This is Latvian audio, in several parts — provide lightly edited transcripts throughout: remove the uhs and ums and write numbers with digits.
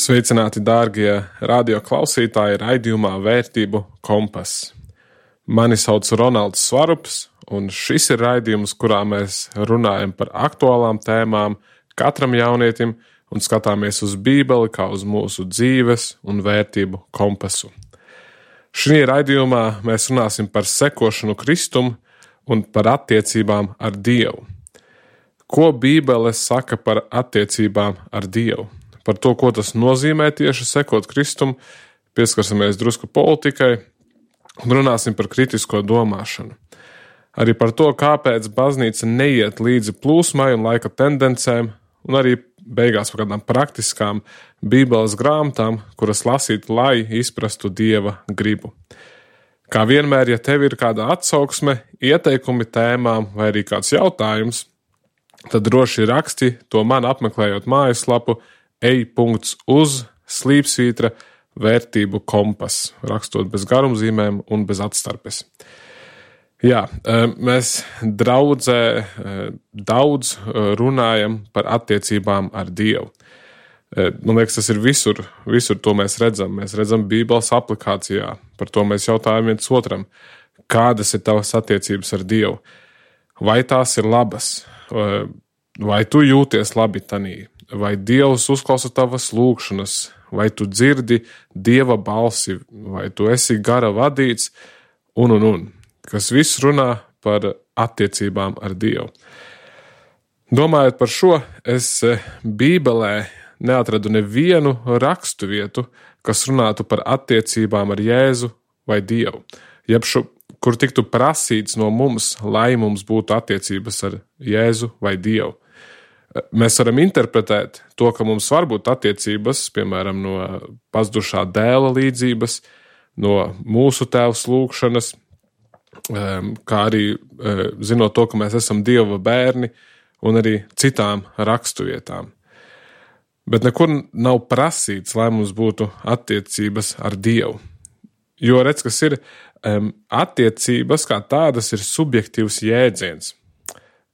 Sveicināti, dārgie radio klausītāji, raidījumā Vērtību kompass. Mani sauc Ronalds Svarups, un šis ir raidījums, kurā mēs runājam par aktuālām tēmām katram jaunietim un skatāmies uz Bībeli kā uz mūsu dzīves un vērtību kompasu. Šī raidījumā mēs runāsim par sekošanu Kristum un par attiecībām ar Dievu. Ko Bībele saka par attiecībām ar Dievu? Par to, ko tas nozīmē tieši sekot Kristum, pieskarsimies drusku politikai un runāsim par kritisko domāšanu. Arī par to, kāpēc baznīca neiet līdzi plūsmai un laika tendencēm, un arī beigās par kādām praktiskām Bībeles grāmatām, kuras lasīt, lai izprastu Dieva gribu. Kā vienmēr, ja tev ir kāda atsauksme, ieteikumi tēmām vai arī kāds jautājums, tad droši raksti to man apmeklējot mājaslapu ej.uz/vērtību kompass, rakstot bez garumzīmēm un bez atstarpes. Jā, mēs draudzē daudz runājam par attiecībām ar Dievu. Man liekas, tas ir visur to mēs redzam. Mēs redzam Bībeles aplikācijā, par to mēs jautājam viens otram, kādas ir tavas attiecības ar Dievu, vai tās ir labas, vai tu jūties labi tanī, vai Dievs uzklausa tavas lūgšanas, vai tu dzirdi Dieva balsi, vai tu esi gara vadīts, un, kas viss runā par attiecībām ar Dievu. Domājot par šo, es Bībelē neatradu nevienu rakstu vietu, kas runātu par attiecībām ar Jēzu vai Dievu, kur tiktu prasīts no mums, lai mums būtu attiecības ar Jēzu vai Dievu. Mēs varam interpretēt to, ka mums var būt attiecības, piemēram, no pazudušā dēla līdzības, no mūsu tēvs lūgšanas, kā arī zinot to, ka mēs esam Dieva bērni un arī citām rakstuvietām. Bet nekur nav prasīts, lai mums būtu attiecības ar Dievu. Jo redz, kas ir attiecības kā tādas ir subjektīvs jēdziens.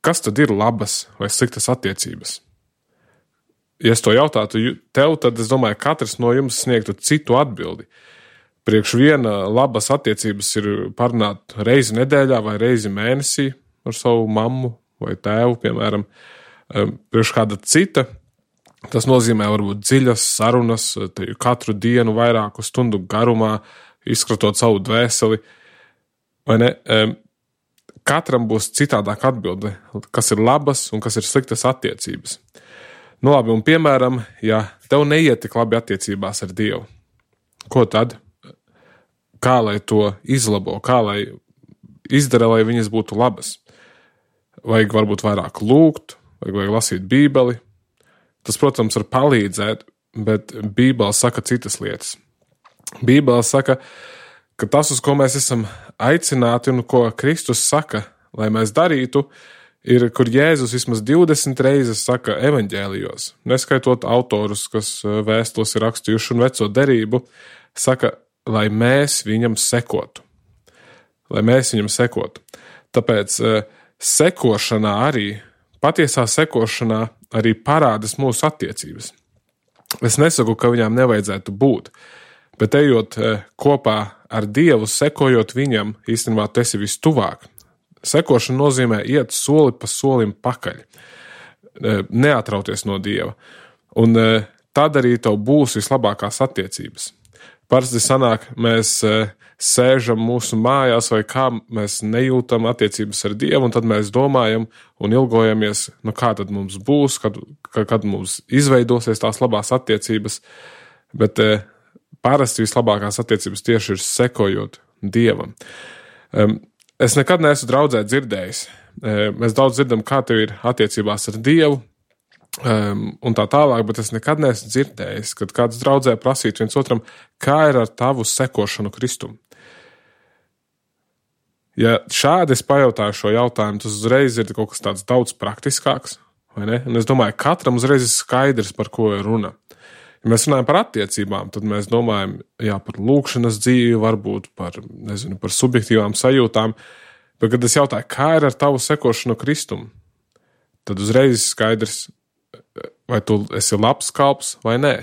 Kas tad ir labas vai sliktas attiecības? Ja es to jautātu tev, tad es domāju, katrs no jums sniegtu citu atbildi. Priekš viena labas attiecības ir parunāt reizi nedēļā vai reizi mēnesī ar savu mammu vai tēvu, piemēram. Priekš kāda cita, tas nozīmē varbūt dziļas sarunas, katru dienu vairāku stundu garumā, izkratot savu dvēseli, vai ne? Katram būs citādāk atbilde, kas ir labas un kas ir sliktas attiecības. Nu labi, un piemēram, ja tev neiet tik labi attiecībās ar Dievu, ko tad? Kā lai to izlabo, kā lai izdara, lai viņas būtu labas? Vajag varbūt vairāk lūgt, vajag lasīt Bībeli. Tas, protams, var palīdzēt, bet Bībele saka citas lietas. Bībele saka, ka tas, uz ko mēs esam aicināti un ko Kristus saka, lai mēs darītu, ir, kur Jēzus vismaz 20 reizes saka evaņģēlijos, neskaitot autorus, kas vēstules ir rakstījuši un veco derību, saka, lai mēs viņam sekotu. Lai mēs viņam sekotu. Tāpēc sekošanā arī, patiesā sekošanā arī parādas mūsu attiecības. Es nesaku, ka viņām nevajadzētu būt, bet ejot kopā ar Dievu, sekojot viņam, īstenībā tu esi vistuvāk. Sekošana nozīmē iet soli pa solim pakaļ, neatrauties no Dieva. Un tad arī tev būs vislabākās attiecības. Parasti sanāk, mēs sēžam mūsu mājās vai kā mēs nejūtam attiecības ar Dievu, un tad mēs domājam un ilgojamies, kā tad mums būs, kad mums izveidosies tās labās attiecības, bet parasti vislabākās attiecības tieši ir sekojot Dievam. Es nekad neesmu draudzē dzirdējis. Mēs daudz dzirdam, kā tev ir attiecībās ar Dievu un tā tālāk, bet es nekad neesmu dzirdējis, kad kāds draudzē prasītu viens otram, kā ir ar tavu sekošanu Kristum. Ja šādi es pajautāju šo jautājumu, tas uzreiz ir kaut kas tāds daudz praktiskāks, vai ne? Un es domāju, katram uzreiz ir skaidrs, par ko ir runa. Ja mēs runājam par attiecībām, tad mēs domājam, par lūgšanas dzīvi, varbūt par subjektīvām sajūtām, bet, kad es jautāju, kā ir ar tavu sekošanu Kristum, tad uzreiz skaidrs, vai tu esi labs kalps vai nē.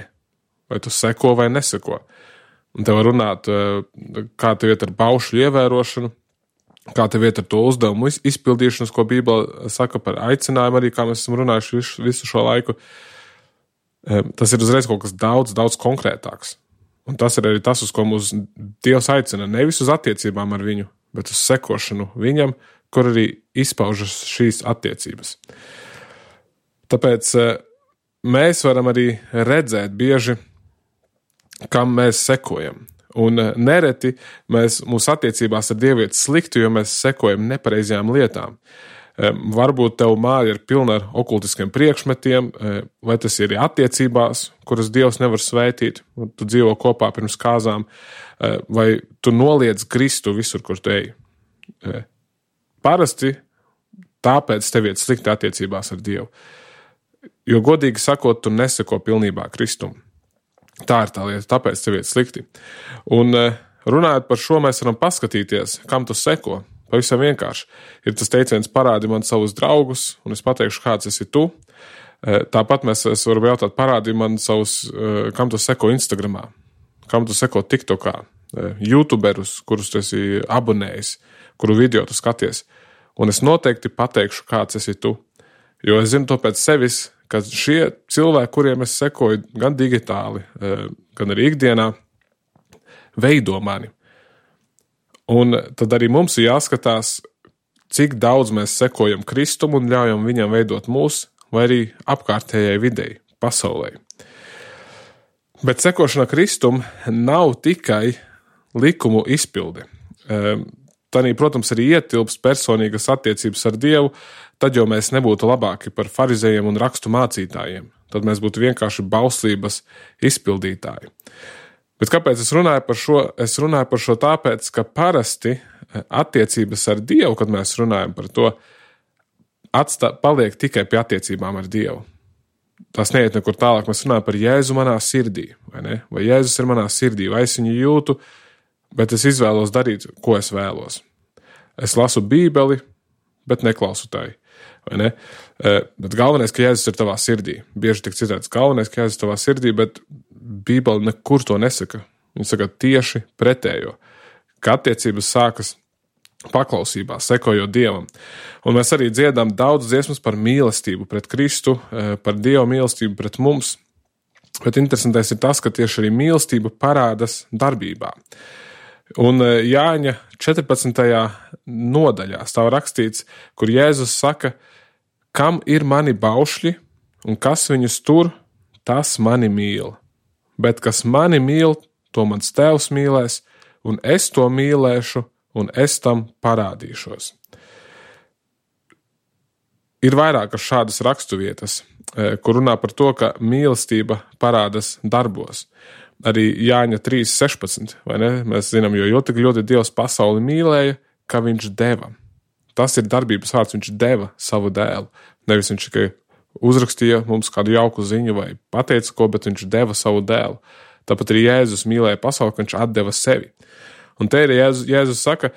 vai tu seko vai neseko. Un te var runāt, kā tev iet ar baušļu ievērošanu, kā tev iet ar to uzdevumu izpildīšanas, ko Bībele saka par aicinājumu, arī kā mēs esam runājuši visu šo laiku. Tas ir uzreiz kaut kas daudz, daudz konkrētāks. Un tas ir arī tas, uz ko mūs Dievs aicina, nevis uz attiecībām ar viņu, bet uz sekošanu viņam, kur arī izpaužas šīs attiecības. Tāpēc mēs varam arī redzēt bieži, kam mēs sekojam. Un nereti mūsu attiecībās ar Dievu iet slikti, jo mēs sekojam nepareizajām lietām. Varbūt tev māja ir pilna ar okultiskiem priekšmetiem, vai tas ir attiecībās, kuras Dievs nevar svētīt, un tu dzīvo kopā pirms kāzām, vai tu noliedz Kristu visur, kur tu ej. Parasti tāpēc tev iet slikti attiecībās ar Dievu. Jo godīgi sakot, tu neseko pilnībā Kristum. Tā ir tā lieta, tāpēc tev iet slikti. Un runājot par šo, mēs varam paskatīties, kam tu seko. Pavisam vienkārši. Ir tas teiciens parādi man savus draugus, un es pateikšu, kāds esi tu. Tāpat es varu jautāt, parādi man savus, kam tu seko Instagramā, kam tu seko TikTokā, YouTuberus, kurus tu esi abonējis, kuru video tu skaties. Un es noteikti pateikšu, kāds esi tu. Jo es zinu to pēc sevis, ka šie cilvēki, kuriem es sekoju gan digitāli, gan arī ikdienā, veido mani. Un tad arī mums ir jāskatās, cik daudz mēs sekojam Kristum un ļaujam viņam veidot mūs, vai arī apkārtējai videi, pasaulē. Bet sekošana Kristum nav tikai likumu izpilde. Tanī, protams, arī ietilps personīgas attiecības ar Dievu, tad jau mēs nebūtu labāki par farizējiem un rakstu mācītājiem. Tad mēs būtu vienkārši bauslības izpildītāji. Bet kāpēc es runāju par šo? Es runāju par šo tāpēc, ka parasti attiecības ar Dievu, kad mēs runājam par to, paliek tikai pie attiecībām ar Dievu. Tas neiet nekur tālāk. Mēs runājam par Jēzu manā sirdī, vai ne? Vai Jēzus ir manā sirdī, vai es viņu jūtu, bet es izvēlos darīt, ko es vēlos. Es lasu Bībeli, bet neklausu tai, vai ne? Bet galvenais, ka Jēzus ir tavā sirdī. Bieži tik citēts, galvenais, ka Jēzus ir tavā sirdī, bet Bībeli nekur to nesaka. Viņa saka tieši pretējo. Ka attiecības sākas paklausībā, sekojot Dievam. Un mēs arī dziedam daudz dziesmas par mīlestību pret Kristu, par Dieva mīlestību pret mums. Bet interesantais ir tas, ka tieši arī mīlestība parādas darbībā. Un Jāņa 14. nodaļā stāv rakstīts, kur Jēzus saka, kam ir mani baušļi un kas viņus tur, tas mani mīl. Bet kas mani mīl, to mans tēvs mīlēs, un es to mīlēšu, un es tam parādīšos. Ir vairākas šādas raksturvietas, kur runā par to, ka mīlestība parādas darbos. Arī Jāņa 3.16, vai ne? Mēs zinām, jo tik ļoti Dievs pasauli mīlēja, ka viņš deva. Tas ir darbības vārds, viņš deva savu dēlu. Nevis viņš tikai uzrakstīja mums kādu jauku ziņu vai pateica ko, bet viņš deva savu dēlu. Tāpat arī Jēzus mīlēja pasauli, ka viņš atdeva sevi. Un te ir Jēzus saka,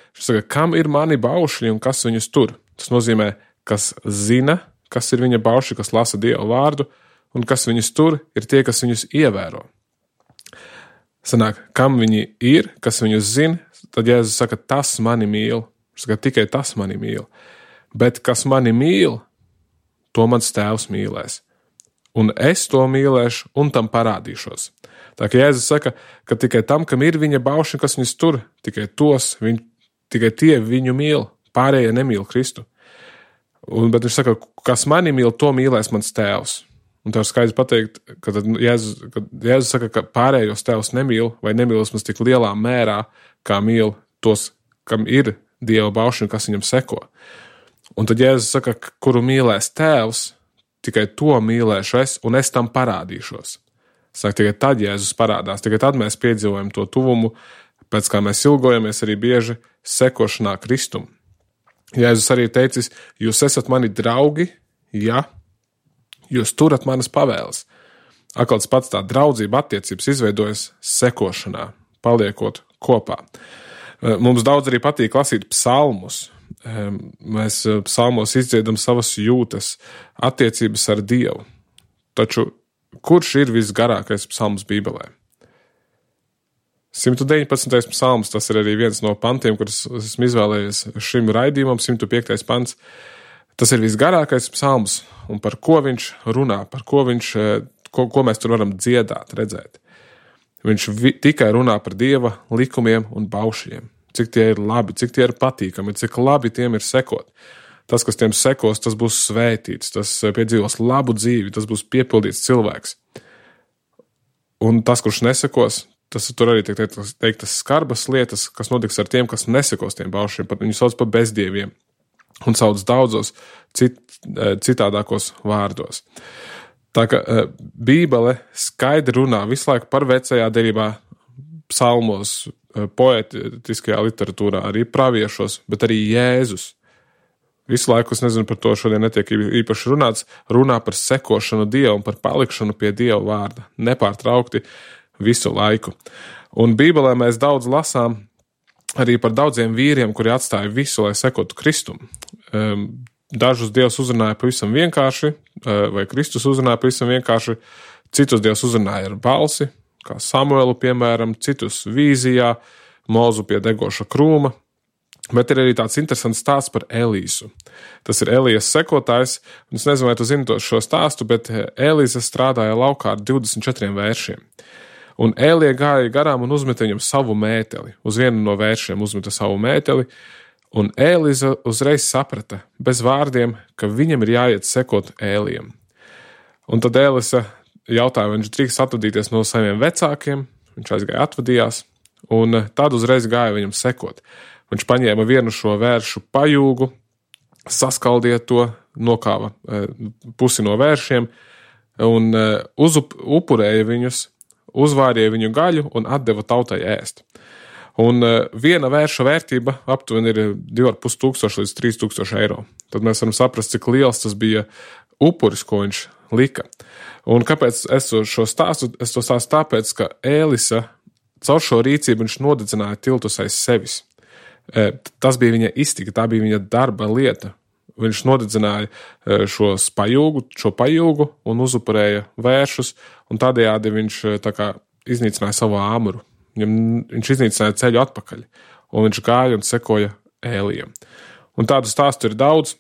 kam ir mani baušļi un kas viņus tur? Tas nozīmē, kas zina, kas ir viņa baušļi, kas lasa Dieva vārdu, un kas viņus tur, ir tie, kas viņus ievēro. Sanāk, kam viņi ir, kas viņus zina, tad Jēzus saka, tas mani mīl. Viņš saka, tikai tas mani mīl. Bet kas mani mīl, to mans tēvs mīlēs. Un es to mīlēšu un tam parādīšos. Tā kā Jēzus saka, ka tikai tam, kam ir viņa baušļi, kas viņus tur, tikai tie viņu mīl, pārējie nemīl Kristu. Bet viņš saka, kas mani mīl, to mīlēs mans tēvs. Un tev skaidrs pateikt, ka Jēzus saka, ka pārējos tēvs nemīl vai nemīl mums tik lielā mērā, kā mīl tos, kam ir Dieva baušļi, kas viņam seko. Un tad Jēzus saka, kuru mīlēs tēvs, tikai to mīlēšu es, un es tam parādīšos. Saka, tikai tad Jēzus parādās, tikai tad mēs piedzīvojam to tuvumu, pēc kā mēs ilgojamies arī bieži sekošanā Kristum. Jēzus arī teicis, jūs esat mani draugi, ja jūs turat manas pavēles. Atkal tas pats tā draudzība attiecības izveidojas sekošanā, paliekot kopā. Mums daudz arī patīk lasīt psalmus. Mēs psalmos izdziedam savas jūtas, attiecības ar Dievu. Taču kurš ir visgarākais psalms Bībelē? 119. psalms, tas ir arī viens no pantiem, kurus esmu izvēlējies šim raidījumam, 105. pants. Tas ir visgarākais psalms, un par ko viņš runā, ko mēs tur varam dziedāt, redzēt. Viņš tikai runā par Dieva likumiem un baušļiem. Cik tie ir labi, cik tie ir patīkami, cik labi tiem ir sekot. Tas, kas tiem sekos, tas būs svētīts, tas piedzīvos labu dzīvi, tas būs piepildīts cilvēks. Un tas, kurš nesekos, tas tur arī tiek teiktas skarbas lietas, kas notiks ar tiem, kas nesekos tiem baušļiem. Viņu sauc par bezdieviem un sauc daudzos citādākos vārdos. Tā ka Bībele skaidri runā visu laiku par vecajā derībā, psalmos, poetiskajā literatūrā, arī praviešos, bet arī Jēzus. Visu laiku, es nezinu, par to šodien netiek īpaši runāts, runā par sekošanu Dievu un par palikšanu pie Dieva vārda, nepārtraukti visu laiku. Un Bībelē mēs daudz lasām arī par daudziem vīriem, kuri atstāja visu, lai sekotu Kristum. Dažus Dievs uzrunāja pavisam vienkārši, vai Kristus uzrunāja pavisam vienkārši, citus Dievs uzrunāja ar balsi, kā Samuelu, piemēram, citus vīzijā, Mozu pie degoša krūma. Bet ir arī tāds interesants stāsts par Elīsu. Tas ir Elijas sekotājs, un es nezinu, vai tu zini šo stāstu, bet Elīza strādāja laukā ar 24 vēršiem. Un Elija gāja garām un uzmeta viņam savu mēteli. Uz vienu no vēršiem uzmeta savu mēteli, un Elīza uzreiz saprata, bez vārdiem, ka viņam ir jāiet sekot Elijam. Un tad Elīza jautāja, vai viņš drīkst atvadīties no saviem vecākiem, viņš aizgāja atvadījās, un tad uzreiz gāja viņam sekot. Viņš paņēma vienu šo vēršu pajūgu, saskaldīja to, nokāva pusi no vēršiem un upurēja viņus, uzvārīja viņu gaļu un atdeva tautai ēst. Un viena vērša vērtība aptuveni ir 2500 līdz 3000 eiro. Tad mēs varam saprast, cik liels tas bija upuris, ko viņš lika. Un kāpēc es to stāstu? Es to stāstu tāpēc, ka Elisa caur šo rīcību viņš nodedzināja tiltus aiz sevis. Tas bija viņa iztika, tā bija viņa darba lieta. Viņš nodedzināja šo pajūgu un uzupurēja vēršus, un tādējādi viņš tā kā iznīcināja savu āmuru. Viņš iznīcināja ceļu atpakaļ, un viņš gāja un sekoja Elijam. Un tādu stāstu ir daudz,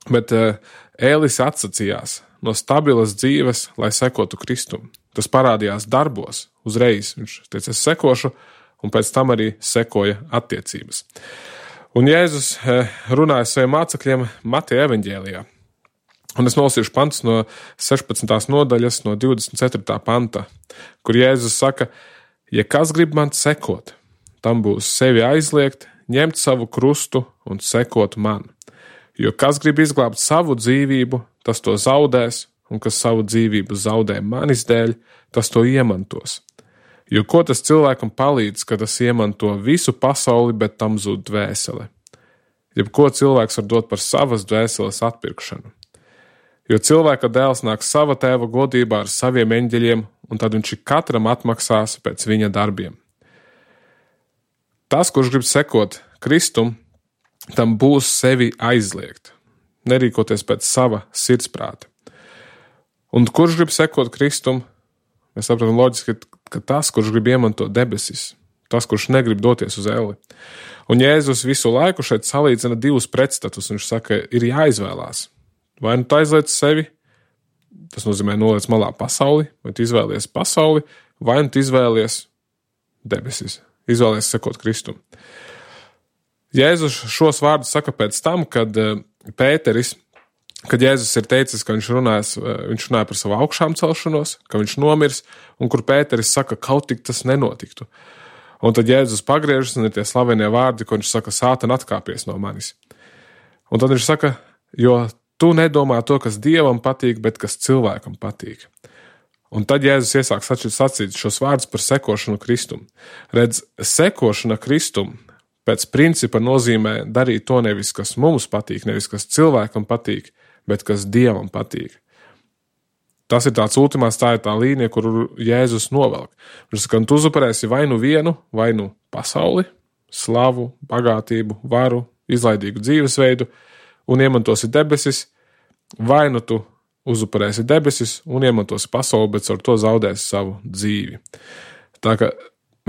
bet Ēlis atsacījās no stabilas dzīves, lai sekotu Kristum. Tas parādījās darbos uzreiz. Viņš teica, es sekošu, un pēc tam arī sekoja attiecības. Un Jēzus runāja saviem mācekļiem Mateja evaņģēlijā. Un es nolasīšu pantus no 16. nodaļas, no 24. panta, kur Jēzus saka, ja kas grib man sekot, tam būs sevi aizliegt, ņemt savu krustu un sekot man. Jo kas grib izglābt savu dzīvību, tas to zaudēs, un kas savu dzīvību zaudē manis dēļ, tas to iemantos. Jo ko tas cilvēkam palīdz, kad tas iemanto visu pasauli, bet tam zūd dvēsele? Jebko cilvēks var dot par savas dvēseles atpirkšanu. Jo cilvēka dēls nāk sava tēva godībā ar saviem eņģeļiem, un tad viņš katram atmaksās pēc viņa darbiem. Tas, kurš grib sekot Kristum, tam būs sevi aizliegt, nerīkoties pēc sava sirdsprāta. Un kurš grib sekot Kristum, mēs saprotam loģiski, ka tas, kurš grib iemantot debesis, tas, kurš negrib doties uz elli. Un Jēzus visu laiku šeit salīdzina divus pretstatus. Viņš saka, ir jāizvēlās. Vai nu tu aizliec sevi, tas nozīmē noliec malā pasauli, vai tu izvēlies pasauli, vai nu tu izvēlies debesis, izvēlies sekot Kristum. Jēzus šos vārdus saka pēc tam, kad Jēzus ir teicis, ka viņš runāja par savu augšām celšanos, ka viņš nomirs, un kur Pēteris saka, kaut tik tas nenotiktu. Un tad Jēzus pagriežas, un ir tie slavenie vārdi, ko viņš saka, Sātan atkāpies no manis. Un tad viņš saka, jo tu nedomā to, kas Dievam patīk, bet kas cilvēkam patīk. Un tad Jēzus iesāk sacīt šos vārdus par sekošanu Kristum. Redz, sekošana Kristum pēc principa nozīmē darīt to nevis, kas mums patīk, nevis kas cilvēkam patīk, bet kas Dievam patīk. Tas ir tāds ultimāts, tā ir tā līnija, kuru Jēzus novelk. Viņš saka, tu uzupurēsi vai nu vienu, vai nu pasauli, slavu, bagātību, varu, izlaidīgu dzīvesveidu un iemantosi debesis, vai nu tu uzupurēsi debesis un iemantosi pasauli, bet ar to zaudēsi savu dzīvi. Tā ka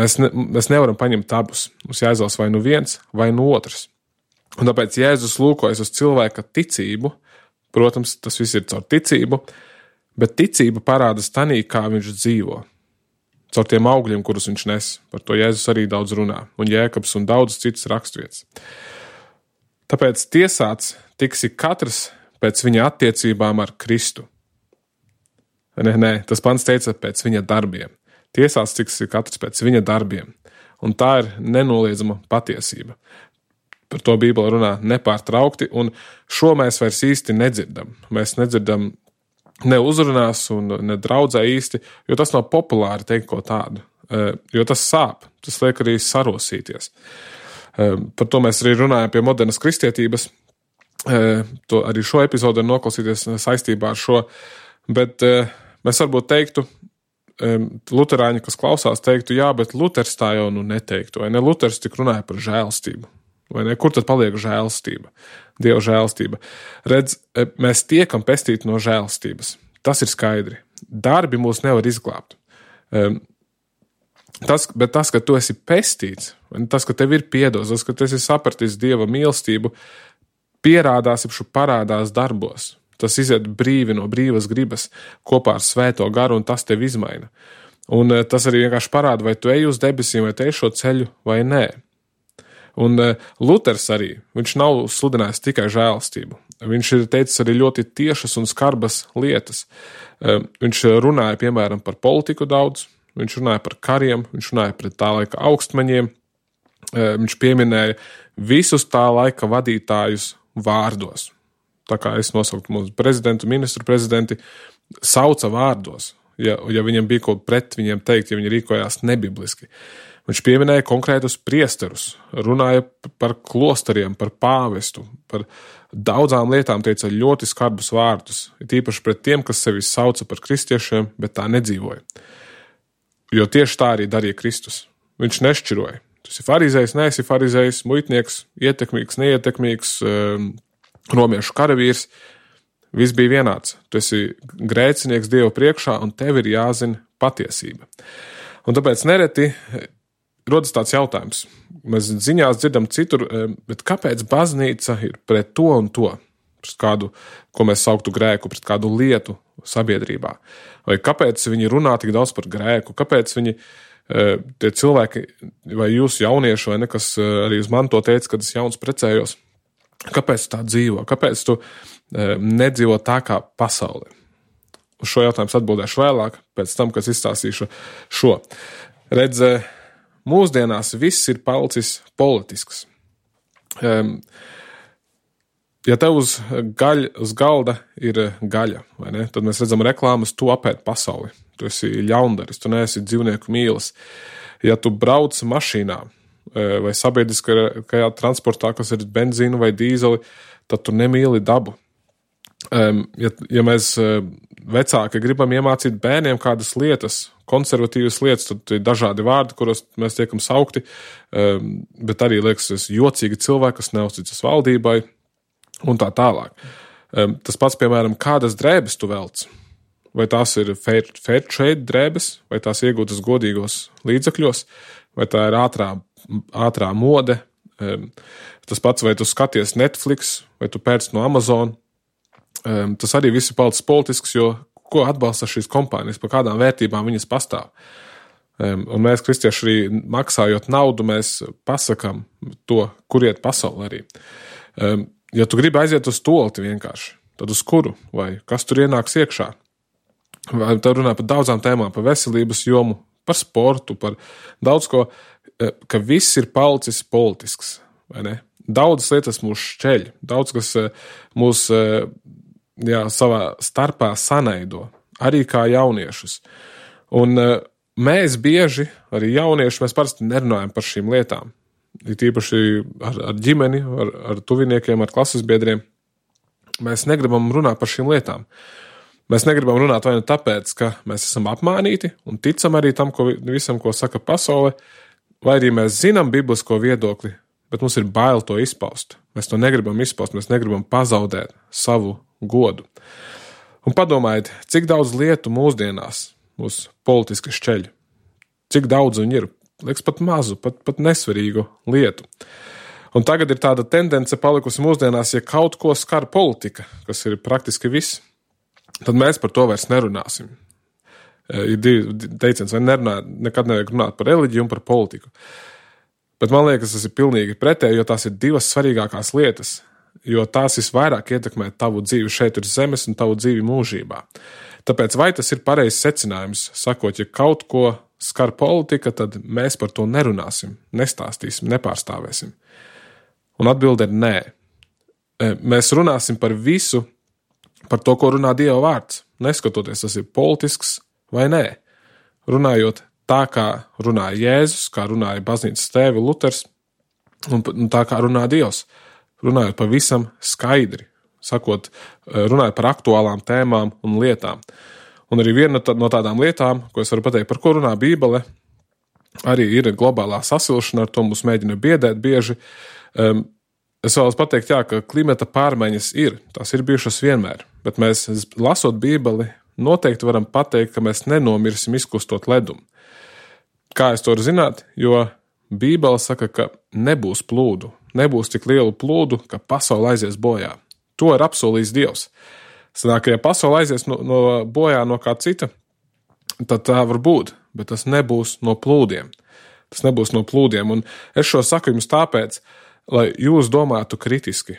mēs nevaram paņemt abus. Mums jāizvēlas vai nu viens, vai nu otrs. Un tāpēc Jēzus lūkojas uz cilvēka ticību. Protams, tas viss ir caur ticību, bet ticība parādās tanī, kā viņš dzīvo. Caur tiem augļiem, kurus viņš nes. Par to Jēzus arī daudz runā. Un Jēkabs un daudz citas raksturvietas. Tāpēc tiesāts tiksi katrs pēc viņa attiecībām ar Kristu. Nē, tas pants teica pēc viņa darbiem. Tiesāts tiksi katrs pēc viņa darbiem. Un tā ir nenoliedzama patiesība. Par to Bībele runā nepārtraukti, un šo mēs vairs īsti nedzirdam. Mēs nedzirdam ne uzrunās un ne draudzē īsti, jo tas nav populāri teikt ko tādu. Jo tas sāp, tas liek arī sarosīties. Par to mēs arī runājam pie modernas kristietības. To arī šo epizodu noklausīties saistībā ar šo. Bet mēs varbūt teiktu, luterāņi, kas klausās, teiktu, jā, bet Luters tā jau neteiktu. Vai ne? Luters tik runāja par žēlstību. Vai ne? Kur tad paliek žēlstība? Dieva žēlstība. Redz, mēs tiekam pestīti no žēlstības. Tas ir skaidri. Darbi mūs nevar izglābt. Bet tas, ka tu esi pestīts, tas, ka tev ir piedots, tas, ka tu esi sapratis Dieva mīlestību, pierādās, parādās darbos. Tas iziet brīvi no brīvas gribas kopā ar svēto garu, un tas tev izmaina. Un tas arī vienkārši parāda, vai tu ej uz debesīm, vai tu ej šo ceļu, vai nē. Un Luters arī, viņš nav sludinājis tikai žēlastību. Viņš ir teicis arī ļoti tiešas un skarbas lietas. Viņš runāja, piemēram, par politiku daudz, viņš runāja par kariem, viņš runāja par tā laika augstmaņiem, viņš pieminēja visus tā laika vadītājus vārdos. Tā kā es nosauktu mūsu prezidentu, ministru prezidenti, sauca vārdos, ja viņiem bija ko pret viņiem teikt, ja viņi rīkojās nebibliski. Viņš pieminēja konkrētus priesterus, runāja par klosteriem, par pāvestu, par daudzām lietām, teica ļoti skarbus vārdus, tīpaši pret tiem, kas sevi sauca par kristiešiem, bet tā nedzīvoja. Jo tieši tā arī darīja Kristus. Viņš nešķiroja. Tu esi farizējs, neesi farizējs, muitnieks, ietekmīgs, neietekmīgs, romiešu karavīrs. Viss bija vienāds. Tu esi grēcinieks Dieva priekšā, un tev ir jāzina patiesība. Un tāpēc nereti rodas tāds jautājums. Mēs ziņās dzirdam citur, bet kāpēc baznīca ir pret to un to? Pret kādu, ko mēs sauktu grēku, pret kādu lietu sabiedrībā? Vai kāpēc viņi runā tik daudz par grēku? Kāpēc viņi, tie cilvēki, vai jūs jaunieši, vai ne, kas arī uz man to teica, kad es jauns precējos, kāpēc tu tā dzīvo? Kāpēc tu nedzīvo tā kā pasaulē? Uz šo jautājumu atbildēšu vēlāk, pēc tam, kad izstāstīšu šo. Redz, mūsdienās viss ir palicis politisks. Ja tev uz galda ir gaļa, vai ne, tad mēs redzam reklāmas, tu apēd pasauli. Tu esi ļaundaris, tu neesi dzīvnieku mīlis. Ja tu brauc mašīnā vai sabiedriskajā transportā, kas ir benzīnu vai dīzeli, tad tu nemīli dabu. Ja mēs vecāki gribam iemācīt bērniem kādas lietas, konservatīvas lietas, tad ir dažādi vārdi, kuros mēs tiekam saukti, bet arī liekas jocīgi cilvēki, kas neuzticas valdībai un tā tālāk. Tas pats, piemēram, kādas drēbes tu velc? Vai tās ir fair trade drēbes, vai tās iegūtas godīgos līdzekļos, vai tā ir ātrā mode? Tas pats, vai tu skaties Netflix, vai tu pērc no Amazon? Tas arī viss ir palicis politisks, jo ko atbalsta šīs kompānijas, par kādām vērtībām viņas pastāv. Un mēs, kristieši, arī maksājot naudu, mēs pasakam to, kur iet pasauli arī. Ja tu gribi aiziet uz tolti vienkārši, tad uz kuru? Vai kas tur ienāks iekšā? Vai tad runā par daudzām tēmām, par veselības jomu, par sportu, par daudz ko, ka viss ir palicis politisks, vai ne? Daudzas lietas mūs šķeļ, daudz kas mūs savā starpā sanaido, arī kā jauniešus. Un mēs bieži, arī jaunieši, mēs parasti nerunājam par šīm lietām. Ir tīpaši ar ģimeni, ar tuviniekiem, ar klases biedriem. Mēs negribam runāt par šīm lietām. Mēs negribam runāt vai nu tāpēc, ka mēs esam apmānīti un ticam arī tam, visam, ko saka pasaule, vai arī mēs zinām biblisko viedokli, bet mums ir bail to izpaust. Mēs to negribam izpaust, mēs negribam pazaudēt savu godu. Un padomājiet, cik daudz lietu mūsdienās mūs politiski šķeļ. Cik daudz viņi ir. Liekas pat mazu, pat nesvarīgu lietu. Un tagad ir tāda tendence palikusi mūsdienās, ja kaut ko skar politika, kas ir praktiski viss, tad mēs par to vairs nerunāsim. Ir divi teiciens, vai nekad nevajag runāt par reliģiju un par politiku. Bet man liekas, tas ir pilnīgi pretēji, jo tās ir divas svarīgākās lietas, jo tās visvairāk ietekmē tavu dzīvi šeit uz zemes un tavu dzīvi mūžībā. Tāpēc vai tas ir pareizs secinājums, sakot, ja kaut ko skar politika, tad mēs par to nerunāsim, nestāstīsim, nepārstāvēsim. Un atbilde ir nē. Mēs runāsim par visu, par to, ko runā Dieva vārds, neskatoties, tas ir politisks vai nē. Runājot tā, kā runāja Jēzus, kā runāja baznīcas tēvi Luters, un tā, kā runā Dievs. Runājot pavisam skaidri, sakot, runājot par aktuālām tēmām un lietām. Un arī viena no tādām lietām, ko es varu pateikt, par ko runā Bībele, arī ir globālā sasilšana, ar to mūs mēģina biedēt bieži. Es vēlos pateikt, ka klimata pārmaiņas tās ir bijušas vienmēr, bet mēs, lasot Bībeli, noteikti varam pateikt, ka mēs nenomirsim izkustot ledumu. Kā es to varu zināt? Jo Bībele saka, ka nebūs plūdu, nebūs tik lielu plūdu, ka pasaule aizies bojā. To ir apsolījis Dievs. Sanāk, ja pasaule aizies bojā no kā cita, tad tā var būt, bet tas nebūs no plūdiem. Tas nebūs no plūdiem. Un es šo saku jums tāpēc, lai jūs domātu kritiski,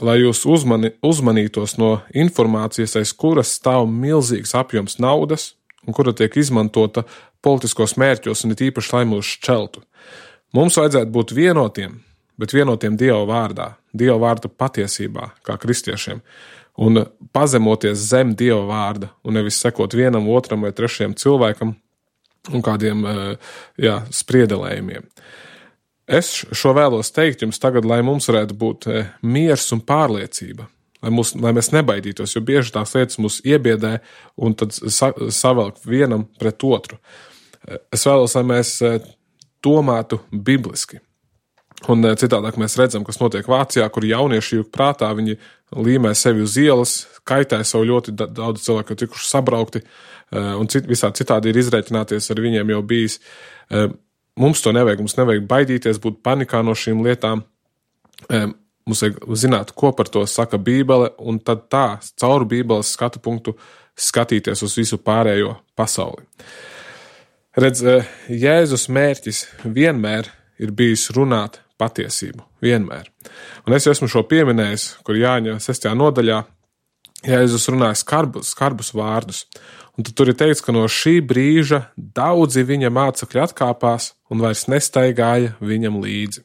lai jūs uzmanītos no informācijas, aiz kuras stāv milzīgs apjoms naudas un kura tiek izmantota politiskos mērķos un it īpaši, lai mūs šķeltu. Mums vajadzētu būt vienotiem, bet vienotiem Dieva vārdā, Dieva vārda patiesībā, kā kristiešiem, un pazemoties zem Dieva vārda, un nevis sekot vienam, otram vai trešajam cilvēkam un kādiem spriedelējumiem. Es šo vēlos teikt jums tagad, lai mums varētu būt miers un pārliecība, lai mēs nebaidītos, jo bieži tās lietas mūs iebiedē un tad savelk vienam pret otru. Es vēlos, lai mēs domātu bibliski. Un citādāk mēs redzam, kas notiek Vācijā, kur jaunieši jūk prātā, viņi līmē sevi uz ielas, kaitē savu ļoti daudz cilvēku, tikuši sabraukti, un visā citādi ir izreikināties ar viņiem jau bijis. Mums to nevajag, mums nevajag baidīties, būt panikā no šīm lietām. Mums vajag zināt, ko par to saka Bībele, un tad caur Bībeles skatu punktu skatīties uz visu pārējo pasauli. Redz, Jēzus mērķis vienmēr ir bijis runāt patiesību. Vienmēr. Un es esmu šo pieminējis, kur Jāņa 6. nodaļā Jēzus runāja skarbus vārdus. Un tad tur ir teikts, ka no šī brīža daudzi viņa mācekļi atkāpās un vairs nestaigāja viņam līdzi.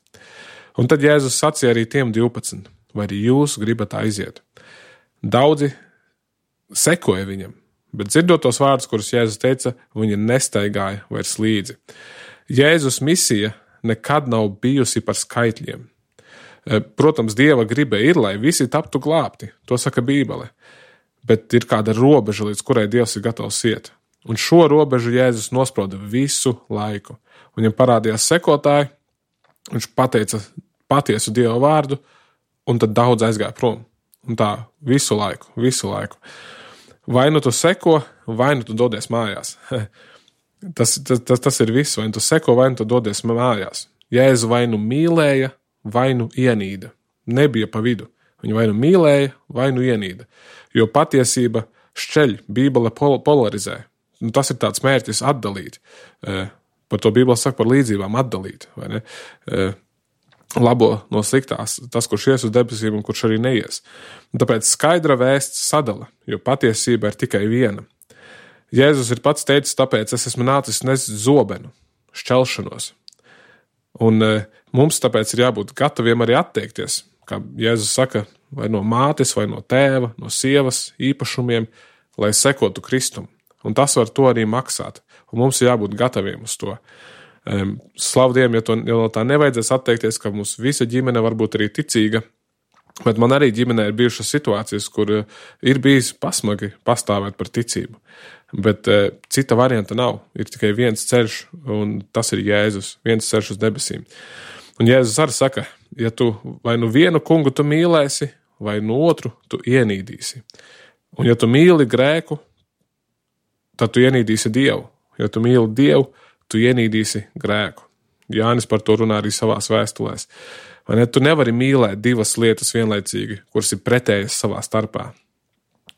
Un tad Jēzus sacīja arī tiem 12, vai arī jūs gribat aiziet. Daudzi sekoja viņam, bet dzirdot tos vārdus, kurus Jēzus teica, viņi nestaigāja vairs līdzi. Jēzus misija nekad nav bijusi par skaitļiem. Protams, Dieva griba ir, lai visi taptu glābti, to saka Bībele, bet ir kāda robeža, līdz kurai Dievs ir gatavs iet. Un šo robežu Jēzus nosprauda visu laiku. Viņam parādījās sekotāji, viņš pateica patiesu Dieva vārdu, un tad daudz aizgāja prom. Un tā visu laiku. Vai nu tu seko, vai nu tu dodies mājās. Tas ir viss, vai nu tu seko, vai nu tu dodies mājās. Jēzu vai nu mīlēja, vai nu ienīda. Nebija pa vidu. Viņu vai nu mīlēja, vai nu ienīda. Jo patiesība šķeļ, Bībele polarizē. Tas ir tāds mērķis atdalīt. Par to Bībele saka par līdzībām atdalīt. Vai ne? Labo no sliktās, tas, kurš ies uz debesīm un kurš arī neies. Un tāpēc skaidra vēsts sadala, jo patiesība ir tikai viena. Jēzus ir pats teicis, tāpēc es esmu nācis nest zobenu, šķelšanos. Un mums tāpēc ir jābūt gataviem arī atteikties, kā Jēzus saka, vai no mātes, vai no tēva, no sievas īpašumiem, lai sekotu Kristum. Un tas var to arī maksāt. Un mums ir jābūt gataviem uz to. Slavu Dievam, ja no tā nevajadzēs atteikties, ka mums visa ģimene var būt arī ticīga, bet man arī ģimenē ir bijušas situācijas, kur ir bijis pasmagi pastāvēt par ticību. Bet cita varianta nav. Ir tikai viens ceļš, un tas ir Jēzus, viens ceļš uz debesīm. Un Jēzus arī saka, ja tu vai nu vienu kungu tu mīlēsi, vai nu otru tu ienīdīsi. Un ja tu mīli grēku, tad tu ienīdīsi Dievu. Ja tu mīli Dievu, tu ienīdīsi grēku. Jānis par to runā arī savās vēstulēs. Vai ne? Tu nevari mīlēt divas lietas vienlaicīgi, kuras ir pretējas savā starpā.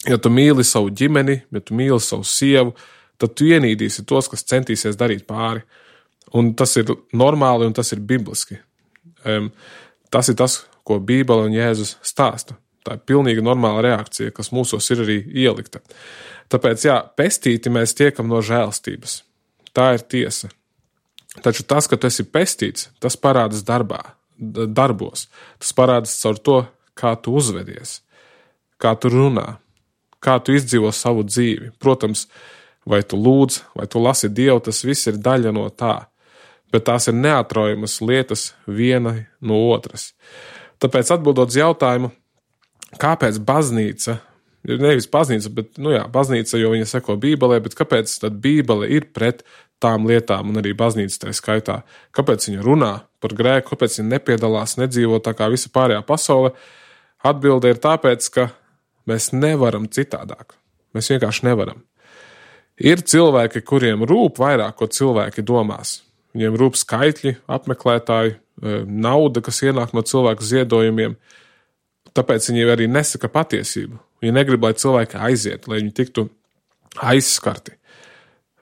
Ja tu mīli savu ģimeni, ja tu mīli savu sievu, tad tu ienīdīsi tos, kas centīsies darīt pāri. Un tas ir normāli un tas ir bibliski. Tas ir tas, ko Bībele un Jēzus stāsta. Tā ir pilnīgi normāla reakcija, kas mūsos ir arī ielikta. Tāpēc, pestīti mēs tiekam no žēlstības. Tā ir tiesa. Taču tas, ka tu esi pestīts, tas parādas darbos. Tas parādas caur to, kā tu uzvedies, kā tu runā, kā tu izdzīvo savu dzīvi. Protams, vai tu lūdz, vai tu lasi Dievu, tas viss ir daļa no tā. Bet tās ir neatraujamas lietas viena no otras. Tāpēc atbildot uz jautājumu, kāpēc baznīca, nevis baznīca, bet, baznīca, jo viņa seko Bībelē, bet kāpēc tad Bībele ir pret tām lietām un arī baznīca tā skaitā? Kāpēc viņa runā par grēku, kāpēc viņa nepiedalās, nedzīvo tā kā visa pārējā pasaule? Atbilde ir tāpēc, ka mēs nevaram citādāk. Mēs vienkārši nevaram. Ir cilvēki, kuriem rūp vairāk, ko cilvēki domās. Viņiem rūp skaitļi, apmeklētāji, nauda, kas ienāk no cilvēku ziedojumiem. Tāpēc viņi arī nesaka patiesību. Viņi negrib, lai cilvēki aiziet, lai viņi tiktu aizskarti.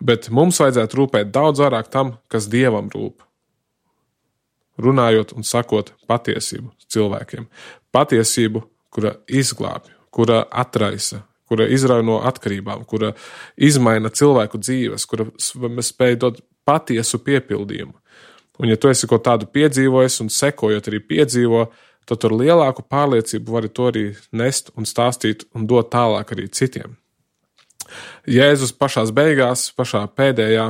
Bet mums vajadzētu rūpēt daudz vairāk tam, kas Dievam rūp. Runājot un sakot patiesību cilvēkiem. Patiesību, kura izglābj, kura atraisa, kura izrauj no atkarībām, kura izmaina cilvēku dzīves, kura spēj dot patiesu piepildījumu. Un ja tu esi ko tādu piedzīvojis un sekojot arī piedzīvo, tad ar lielāku pārliecību vari to arī nest un stāstīt un dot tālāk arī citiem. Jēzus pašās beigās, pašā pēdējā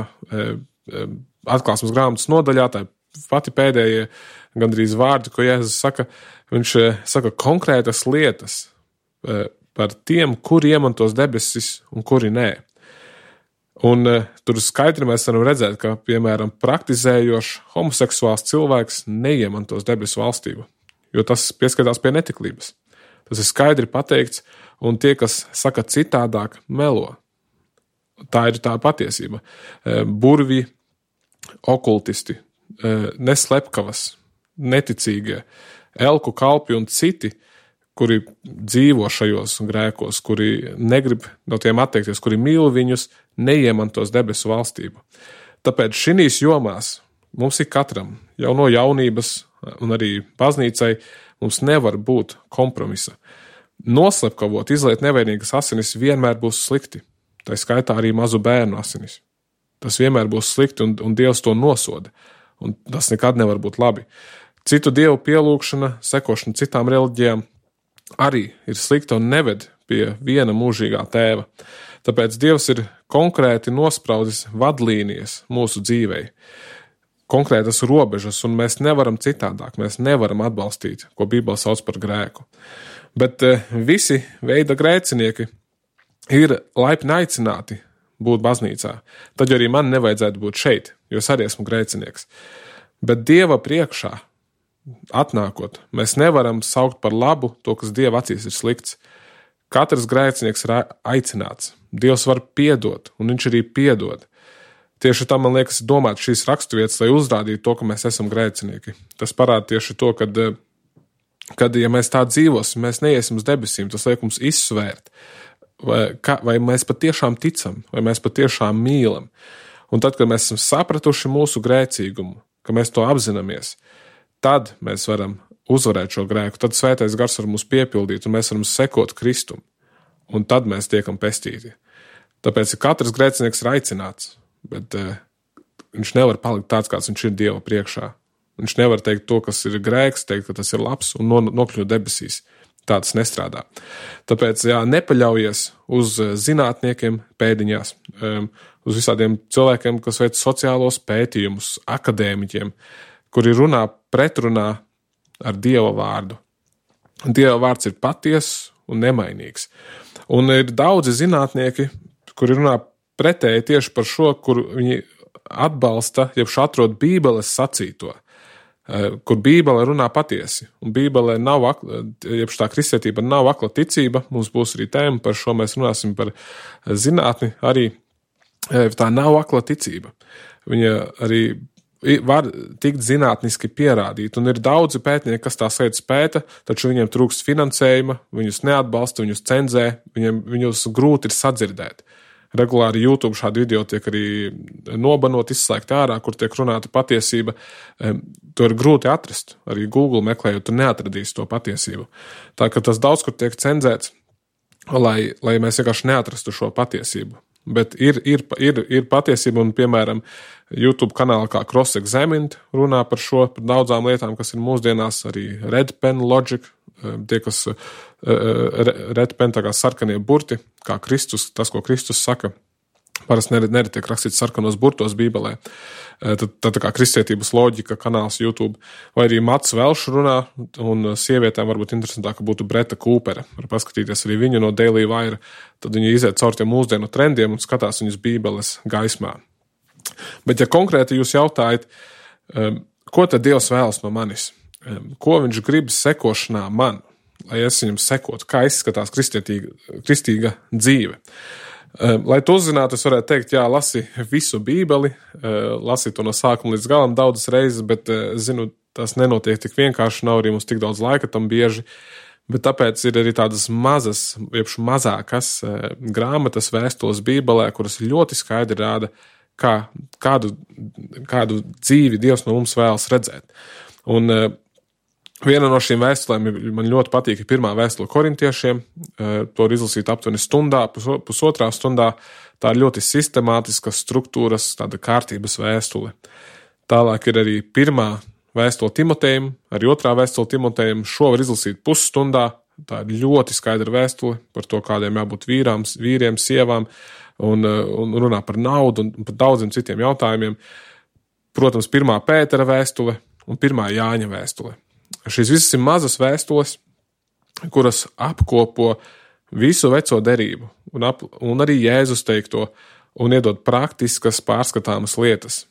atklāsmes grāmatas nodaļā, tā pati pēdējie gandrīz vārdi, ko Jēzus saka, viņš saka konkrētas lietas par tiem, kuri iemantos debesis un kuri nē. Un tur skaidri mēs varam redzēt, ka, piemēram, praktizējošs homoseksuāls cilvēks neiemantos debesu valstību, jo tas pieskatās pie netiklības. Tas ir skaidri pateikts, un tie, kas saka citādāk, melo. Tā ir tā patiesība. Burvi, okultisti, neslepkavas, neticīgie, elku kalpi un citi, kuri dzīvo šajos grēkos, kuri negrib no tiem atteikties, kuri mīl viņus, neiemantos debesu valstību. Tāpēc šīs jomās mums ir katram, jau no jaunības un arī baznīcai, mums nevar būt kompromisa. Noslepkavot, izliet nevainīgas asinis vienmēr būs slikti. Tā skaitā arī mazu bērnu asinis. Tas vienmēr būs slikti un Dievs to nosoda. Un tas nekad nevar būt labi. Citu dievu pielūgšana, sekošana citām reliģijām arī ir slikta un neved pie viena mūžīgā tēva. Tāpēc Dievs ir konkrēti nospraudis vadlīnijas mūsu dzīvei. Konkrētas robežas, un mēs nevaram citādāk, mēs nevaram atbalstīt, ko Bībele sauc par grēku. Bet visi veida grēcinieki ir laipni aicināti būt baznīcā. Tad arī man nevajadzētu būt šeit, jo es arī esmu grēcinieks. Bet Dieva priekšā atnākot, mēs nevaram saukt par labu to, kas Dieva acīs ir slikts. Katrs grēcinieks ir aicināts. Dievs var piedot, un viņš arī piedod. Tieši tam, man liekas, domāt šīs raksturvietas, lai uzrādītu to, ka mēs esam grēcinieki. Tas parāda tieši to, kad ja mēs tā dzīvosim, mēs neiesim uz debesīm, tas liek mums izsvērt, vai mēs patiešām ticam, vai mēs patiešām mīlam. Un tad, kad mēs esam sapratuši mūsu grēcīgumu, ka mēs to apzināmies, tad mēs varam uzvarēt šo grēku, tad Svētais Gars var mūs piepildīt, un mēs varam sekot Kristum, un tad mēs tiekam pestīti. Tāpēc katrs grēcinieks ir aicināts, bet viņš nevar palikt tāds, kāds viņš ir Dieva priekšā. Viņš nevar teikt to, kas ir grēks, teikt, ka tas ir labs, un nokļūt debesīs. Tāds nestrādā. Tāpēc, nepaļaujies uz zinātniekiem pēdiņās, uz visādiem cilvēkiem, kas veic sociālos pētījumus, akadēmiķiem, kuri runā pretrunā ar Dieva vārdu. Dieva vārds ir patiess un nemainīgs. Un ir daudzi zinātnieki, kuri runā pretēji tieši par šo, kur viņi atbalsta, jeb atrod Bībeles sacīto. kur Bībele runā patiesi. Un Bībelē nav, jeb tā kristietība nav akla ticība, mums būs arī tēma par šo, mēs runāsim par zinātni, arī tā nav akla ticība. Viņa arī var tikt zinātniski pierādīt, un ir daudzi pētnieki, kas tās lietas pēta, taču viņiem trūkst finansējuma, viņus neatbalsta, viņus cenzē, viņus grūti ir sadzirdēt. Regulāri YouTube šādi video tiek arī nobanot, izslēgt ārā, kur tiek runāta patiesība. To ir grūti atrast. Arī Google meklējot, tu neatradīsi to patiesību. Tā ka tas daudz, kur tiek cenzēts, lai mēs vienkārši neatrastu šo patiesību. Bet ir patiesība, un, piemēram, YouTube kanālā kā Cross-Examined runā par šo, par daudzām lietām, kas ir mūsdienās, arī Red Pen Logic, tie, kas Red Pen, tā kā sarkanie burti, kā Kristus, tas, ko Kristus saka, parasti neretiek rakstīts sarkanos burtos Bībelē. Tad tā kā kristietības loģika kanāls YouTube, vai arī Mats Velšs runā, un sievietēm varbūt interesantāk būtu Breta Kūpere. Var paskatīties arī viņu no Daily Wire, tad viņi iziet caur tiem mūsdienu trendiem un skatās viņus Bībeles gaismā. Bet ja konkrēti jūs jautājat, ko tad Dievs vēlas no manis? Ko viņš grib sekošanā man, lai es viņam sekotu? Kā izskatās kristīga dzīve? Lai to uzzinātu, es varētu teikt, jā, lasi visu Bībeli, lasi to no sākuma līdz galam daudzas reizes, bet, zinu, tas nenotiek tik vienkārši, nav arī mums tik daudz laika tam bieži, bet tāpēc ir arī tādas mazākas grāmatas vēstules Bībelē, kuras ļoti skaidri rāda, kādu dzīvi Dievs no mums vēlas redzēt. Un viena no šīm vēstulēm man ļoti patīk ir pirmā vēstule korintiešiem. To ir izlasīt aptuveni stundā, pusotrā stundā. Tā ir ļoti sistemātiska struktūras, tāda kārtības vēstule. Tālāk ir arī pirmā vēstule Timotejam, arī otrā vēstule Timotejam. Šo var izlasīt pusstundā. Tā ir ļoti skaidra vēstule par to, kādiem jābūt vīriem, sievām, un runā par naudu un par daudziem citiem jautājumiem. Protams, pirmā Pētera vēstule un pirmā Jāņa vēstule. Šīs visas ir mazas vēstules, kuras apkopo visu veco derību un arī Jēzus teikto un iedod praktiskas pārskatāmas lietas.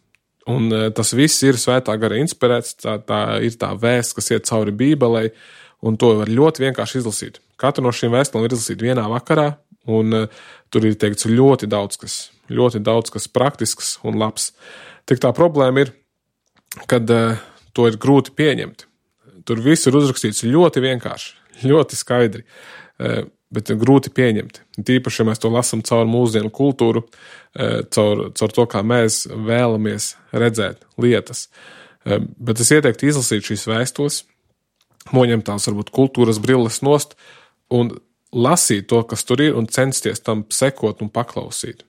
Un tas viss ir svētā gara inspirēts, tā ir tā vēsts, kas iet cauri Bībelei, un to var ļoti vienkārši izlasīt. Katru no šīm vēstulēm var izlasīt vienā vakarā, un tur ir teikts ļoti daudz kas praktisks un labs. Tik tā problēma ir, kad to ir grūti pieņemt. Tur viss ir uzrakstīts ļoti vienkārši, ļoti skaidri, bet grūti pieņemt. Tīpaši, ja mēs to lasam caur mūsdienu kultūru, caur to, kā mēs vēlamies redzēt lietas. Bet es ieteiktu izlasīt šīs vēstules, noņemt tās varbūt kultūras brilles nost un lasīt to, kas tur ir, un censties tam sekot un paklausīt.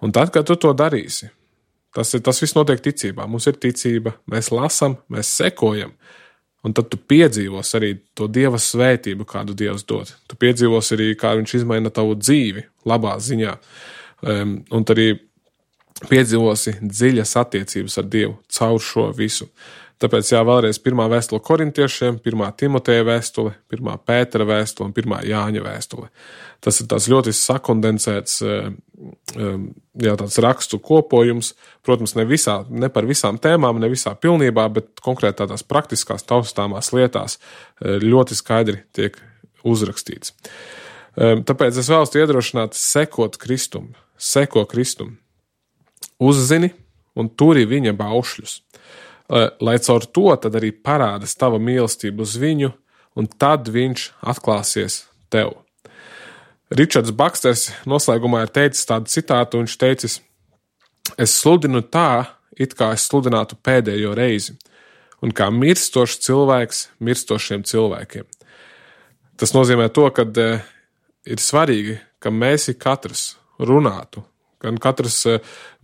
Un tad, kad tu to darīsi, tas viss notiek ticībā. Mums ir ticība, mēs lasam, mēs sekojam. Un tad tu piedzīvos arī to Dieva svētību, kādu Dievs dod. Tu piedzīvos arī, kā viņš izmaina tavu dzīvi labā ziņā. Un tad arī piedzīvosi dziļas attiecības ar Dievu caur šo visu. Tāpēc vēlreiz pirmā vēstule korintiešiem, pirmā Timoteja vēstule, pirmā Pētera vēstule un pirmā Jāņa vēstule. Tas ir tāds ļoti sakondensēts tāds rakstu kopojums. Protams, ne par visām tēmām, ne visā pilnībā, bet konkrēti tādās praktiskās taustāmās lietās ļoti skaidri tiek uzrakstīts. Tāpēc es vēlos iedrošināt seko Kristum. Uzzini un turi viņa baušļus. Lai caur to tad arī parādas tava mīlestība uz viņu, un tad viņš atklāsies tev. Ričards Baksters noslēgumā ir teicis tādu citātu, viņš teicis: es sludinu tā, it kā es sludinātu pēdējo reizi, un kā mirstošs cilvēks mirstošiem cilvēkiem. Tas nozīmē to, ka ir svarīgi, ka mēs katrs runātu, gan katrs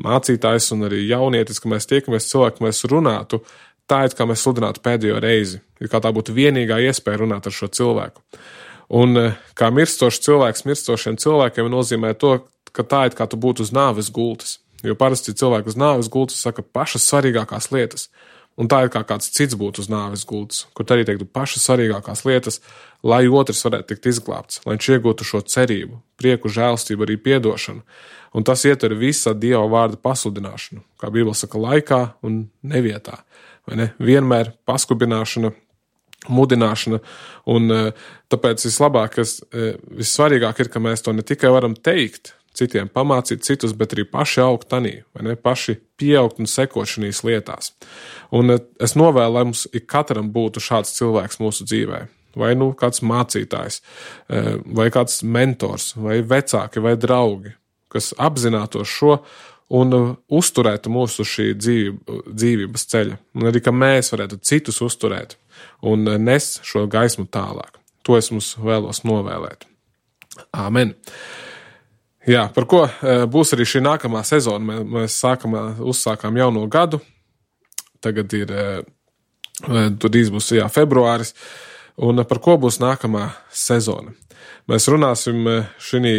mācītājs un arī jaunietis, ka mēs tiekamies cilvēki, mēs runātu tā, it kā mēs sludinātu pēdējo reizi, ir kā tā būtu vienīgā iespēja runāt ar šo cilvēku. Un kā mirstošs cilvēks mirstošiem cilvēkiem nozīmē to, ka tā it kā tu būtu uz nāves gultas, jo parasti cilvēki uz nāves gultas saka pašas svarīgākās lietas, un tā ir kā kāds cits būtu uz nāves gultas, kur arī teiktu pašas svarīgākās lietas, lai otrs varētu tikt izglābts, lai viņš iegūtu šo cerību, prieku, žēlstību, arī piedošanu. Un tas ietver visa Dieva vārda pasludināšanu, kā Bībele saka, laikā un nevietā. vai ne? Vienmēr paskubināšana, mudināšana, un tāpēc vissvarīgāk ir, ka mēs to ne tikai varam teikt, citiem pamācīt citus, bet arī paši augt tanī, vai ne? Paši pieaugt un sekot šīs lietās. Un es novēlu, lai mums ikatram būtu šāds cilvēks mūsu dzīvē. Vai kāds mācītājs, vai kāds mentors, vai vecāki, vai draugi, kas apzinātos šo un uzturētu mūsu šī dzīvības ceļa. Un arī, ka mēs varētu citus uzturēt un nest šo gaismu tālāk. To es mums vēlos novēlēt. Āmen. Jā, par ko būs arī šī nākamā sezona. Mēs uzsākām jauno gadu. Tagad drīz būs februāris. Un par ko būs nākamā sezona? Mēs runāsim šī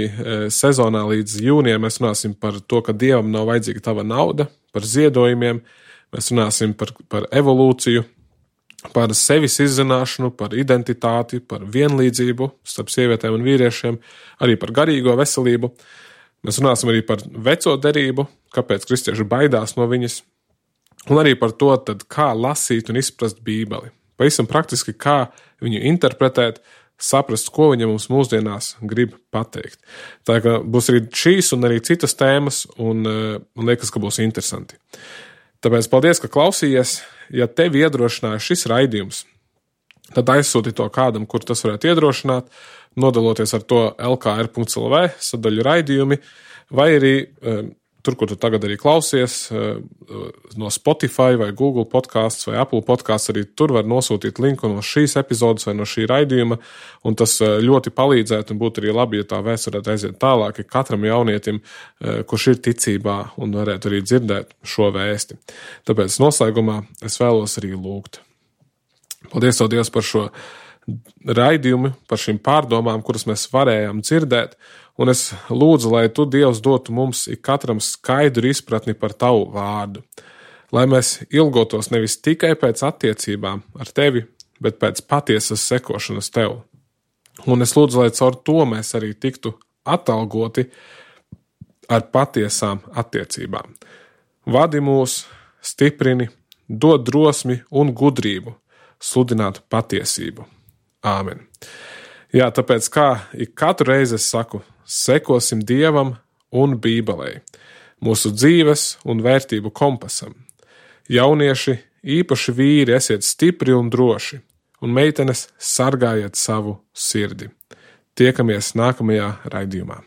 sezonā līdz jūnijam, mēs runāsim par to, ka Dievam nav vajadzīga tava nauda, par ziedojumiem, mēs runāsim par evolūciju, par sevis izzināšanu, par identitāti, par vienlīdzību starp sievietēm un vīriešiem, arī par garīgo veselību. Mēs runāsim arī par veco derību, kāpēc kristieši baidās no viņas, un arī par to, tad, kā lasīt un izprast Bībeli. Pavisam praktiski, kā viņu interpretēt, saprast, ko viņa mums mūsdienās grib pateikt. Tā kā būs arī šīs un arī citas tēmas, un man liekas, ka būs interesanti. Tāpēc paldies, ka klausījies. Ja tevi iedrošināja šis raidījums, tad aizsūti to kādam, kur tas varētu iedrošināt, nodaloties ar to lkr.lv sadaļu raidījumi, vai arī tur, kur tu tagad arī klausies, no Spotify vai Google podcasts vai Apple podcasts, arī tur var nosūtīt linku no šīs epizodes vai no šī raidījuma, un tas ļoti palīdzētu un būtu arī labi, ja tā vēsts varētu aiziet tālāk katram jaunietim, kurš ir ticībā un varētu arī dzirdēt šo vēsti. Tāpēc noslēgumā es vēlos arī lūgt. Paldies, Tev, Dievs, par šo raidījumu, par šīm pārdomām, kuras mēs varējām dzirdēt, un es lūdzu, lai Tu, Dievs, dotu mums ikatram skaidru izpratni par Tavu vārdu, lai mēs ilgotos nevis tikai pēc attiecībām ar Tevi, bet pēc patiesas sekošanas Tev. Un es lūdzu, lai caur to mēs arī tiktu atalgoti ar patiesām attiecībām. Vadi mūs, stiprini, dod drosmi un gudrību sludināt patiesību. Āmen. Jā, tāpēc kā ik katru reizi es saku, sekosim Dievam un Bībelei, mūsu dzīves un vērtību kompasam. Jaunieši, īpaši vīri, esiet stipri un droši, un meitenes sargājiet savu sirdi. Tiekamies nākamajā raidījumā.